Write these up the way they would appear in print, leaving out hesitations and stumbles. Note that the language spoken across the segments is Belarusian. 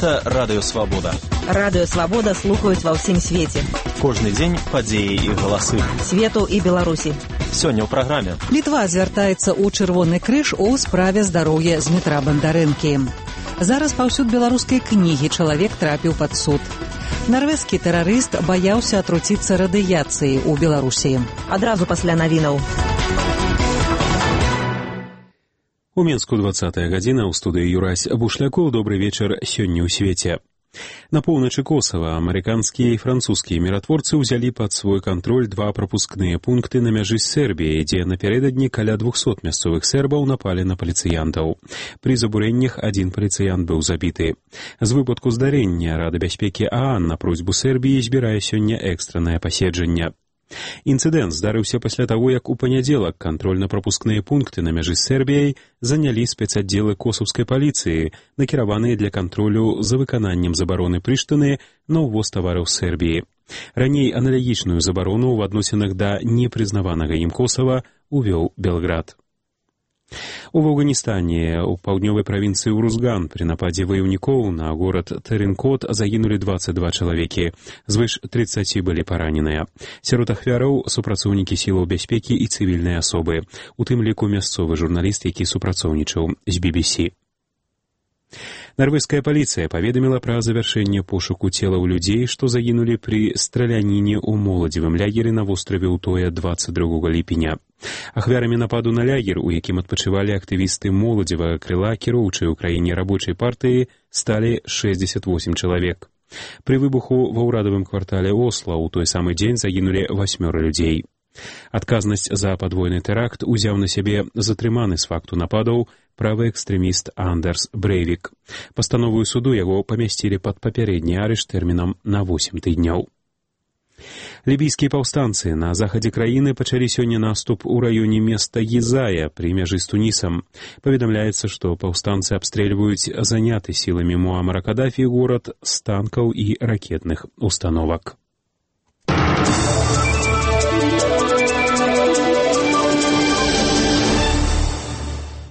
Гэта Радыё Свабода. Радыё Свабода слухаюць ва ўсім свеце. Кожны дзень падзеі і галасы. Свету і Беларусі. Сёння ў праграме. Літва звяртаецца ў Чырвоны крыж у справе здароўя Змітра Бандарэнкі. Зараз паўсюд беларускай кнігі чалавек трапіў пад суд. Нарвежскі тэрарыст баяўся атруціцца радыяцыяй у Беларусі. Адразу пасля навінаў. У Мінску 20-я гадзіна, ў студыі Юрась Бушлякоў. Добры вечар сёння ў свеце. На поўначы Косава амерыканскія і французскія міратворцы ўзялі пад свой кантроль два прапускныя пункты на мяжы з Сербіяй, дзе напярэдадні каля 200 мясцовых сербаў напалі на паліцыянтаў. Пры забурэннях адзін паліцыянт быў забіты. З выпадку здарэння Рада бяспекі ААН на просьбу Сербіі збірае сёння экстраннае паседжанне. Інцыдэнт здарыўся пасля таго, як у панядзелак кантрольна-прапускныя пункты на мяжы з Сербіяй занялі спецаддзелы косаўскай паліцыі, накіраваныя для кантролю за выкананнем забароны Прыштыны на ўвоз тавараў з Сербіі. Раней аналагічную забарону ў адносінах да непрызнаванага ім Косава увёў Белград. У Афганістане, у паўднёвай правінцыі Урузган, пры нападзе ваяўнікоў на горад Тэренкот загінулі 22 чалавекі. Звыш 30 былі параненыя. Сярод ахвяраў супрацоўнікі сілаў бяспекі і цывільныя асобы, у тым ліку мясцовы журналіст, які супрацоўнічаў з BBC. Нарвежская паліцыя паведаміла пра завяршэнне пошуку целаў людзей, што загінулі пры страляніне ў моладзевым лягеры на востраве Утоя 22 ліпеня. Ахвярамі нападу на лягер, у якім адпачывалі актывісты моладзевага крыла кіроўчай у краіне рабочай партыі, сталі 68 чалавек. Пры выбуху ва ўрадавым квартале Осла ў той самы дзень загінулі 8 людзей. Адказнасць за падвойны тэракт узяў на сябе затрыманы з факту нападаў правы экстрэміст Андерс Брэйвік. Пастановую суду яго памясцілі пад папярэдні арышт тэрмінам на 8 тыдняў. Лібійскія паўстанцы на захадзе краіны пачалі сёння наступ у раёне места Гізая пры мяжы з Тунісам. Паведамляецца, што паўстанцы абстрэльваюць заняты сіламі Муамара Кадафі горад з танкаў і ракетных установак.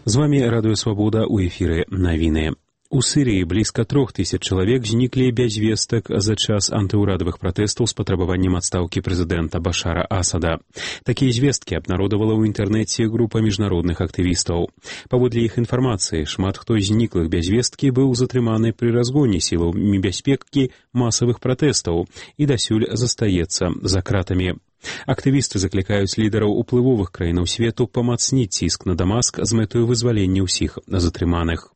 З вамі Радыё Свабода, у эфіры навіны. У Сірыі блізка 3000 чалавек зніклі без вестак за час антыўрадавых пратэстаў з патрабаваннем адстаўкі прэзідэнта Башара Асада. Такія звесткі абнародавала ў інтэрнэце група міжнародных актывістаў. Паводле іх інфармацыі, шмат хто з зніклых без весткі быў затрыманы пры разгоне сіламі бяспекі масавых пратэстаў і дасюль застаецца за кратамі. Актывісты заклікаюць лідараў уплывовых краінаў свету памацніць ціск на Дамаск з мэтаю вызвалення ўсіх затрыманых.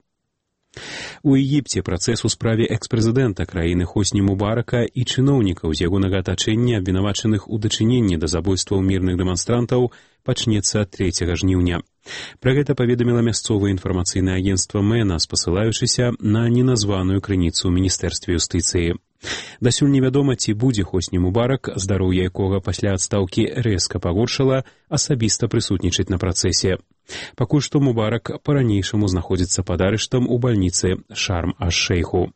У Егіпце працэс у справе экс-прэзідэнта краіны Хосні Мубарака і чыноўнікаў з ягонага атачэння, абвінавачаных у дачыненні да забойстваў мірных дэманстрантаў, пачнецца 3 жніўня. Пра гэта паведаміла мясцовае інфармацыйнае агенцтва МЭНА, спасылаючыся на неназваную крыніцу ў міністэрстве юстыцыі. Дасюль невядома, ці будзе Хосні Мубарак, здароўе якога пасля адстаўкі рэзка пагоршала, асабіста прысутнічаць на працэсе. Пакуль што Мубарак па-ранейшаму знаходзіцца пад арыштам у бальніцы Шарм-аш-Шэйху.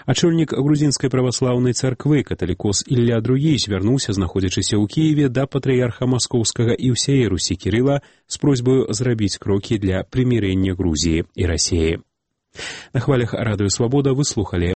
Ачольнік грузінскай праваслаўнай царквы каталікос Ілля Другі звярнуўся, знаходзячыся ў Кіеве, да патрыярха маскоўскага і ўсяе Русі Кірыла з просьбаю зрабіць крокі для прымірэння Грузіі і Расіі. На хвалях Радыё Свабода вы слухалі